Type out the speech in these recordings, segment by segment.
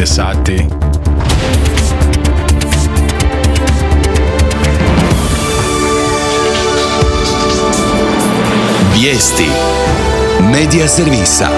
19 sati. Vijesti Medija servisa.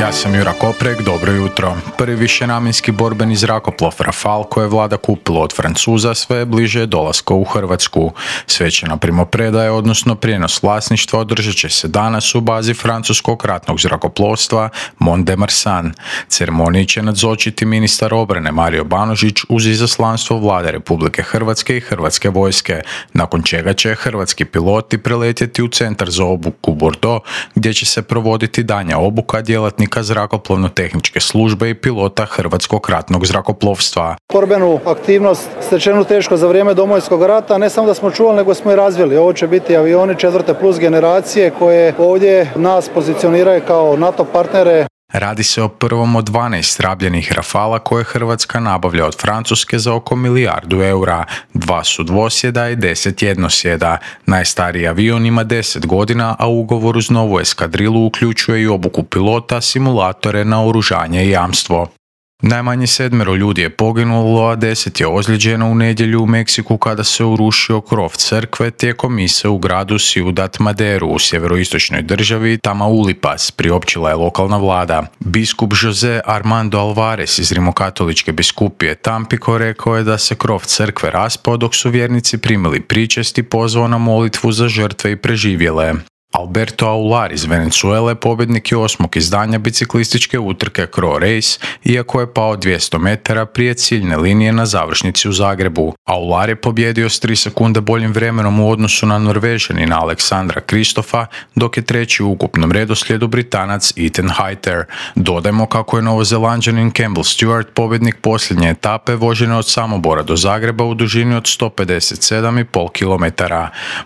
Ja sam Jura Koprek, dobro jutro. Prvi višenamjenski borbeni zrakoplov Rafale koje je vlada kupila od Francuza sve je bliže dolaska u Hrvatsku. Svečana primopredaja, odnosno prijenos vlasništva, održat će se danas u bazi francuskog ratnog zrakoplovstva Mont de Marsan. Ceremoniji će nazočiti ministar obrane Mario Banožić uz izaslanstvo vlade Republike Hrvatske i Hrvatske vojske, nakon čega će hrvatski piloti preletjeti u centar za obuku Bordeaux, gdje će se provoditi daljnja obuka djelatnika zrakoplovno-tehničke službe i pilota Hrvatskog ratnog zrakoplovstva. Borbenu aktivnost stečenu teško za vrijeme Domovinskog rata, ne samo da smo čuvali, nego smo i razvili. Ovo će biti avioni 4. plus generacije koje ovdje nas pozicioniraju kao NATO partnere. Radi se o prvom od 12 rabljenih Rafala koje Hrvatska nabavlja od Francuske za oko milijardu eura. 2 su dvosjeda i 10 jednosjeda. Najstariji avion ima 10 godina, a ugovor uz novu eskadrilu uključuje i obuku pilota, simulatore, naoružanje i jamstvo. Najmanje 7 ljudi je poginulo, a 10 je ozlijeđeno u nedjelju u Meksiku kada se urušio krov crkve tijekom mise u gradu Ciudad Maderu u sjeveroistočnoj državi Tamaulipas, priopćila je lokalna vlada. Biskup Jose Armando Alvarez iz rimokatoličke biskupije Tampico rekao je da se krov crkve raspao dok su vjernici primili pričest i pozvao na molitvu za žrtve i preživjele. Alberto Aular iz Venezuele pobjednik je 8. izdanja biciklističke utrke Cro Race, iako je pao 200 metara prije ciljne linije na završnici u Zagrebu. Aular je pobjedio s 3 sekunde boljim vremenom u odnosu na Norvežanina Aleksandra Kristofa, dok je treći u ukupnom redoslijedu Britanac Ethan Hayter. Dodajmo kako je Novozelanđanin Campbell Stewart pobjednik posljednje etape vožene od Samobora do Zagreba u dužini od 157,5 km.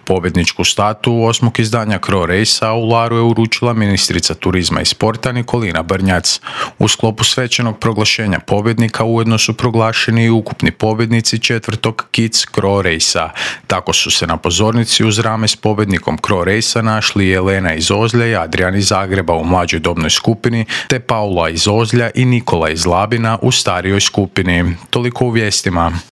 Pobjedničku statu 8. izdanja Cro Race Aularu je uručila ministrica turizma i sporta Nikolina Brnjac. U sklopu svečanog proglašenja pobjednika ujedno su proglašeni i ukupni pobjednici 4. Kids Cro Race-a. Tako su se na pozornici uz rame s pobjednikom Cro Race-a našli Jelena iz Ozlja i Adrian iz Zagreba u mlađoj dobnoj skupini, te Paula iz Ozlja i Nikola iz Labina u starijoj skupini. Toliko u vijestima.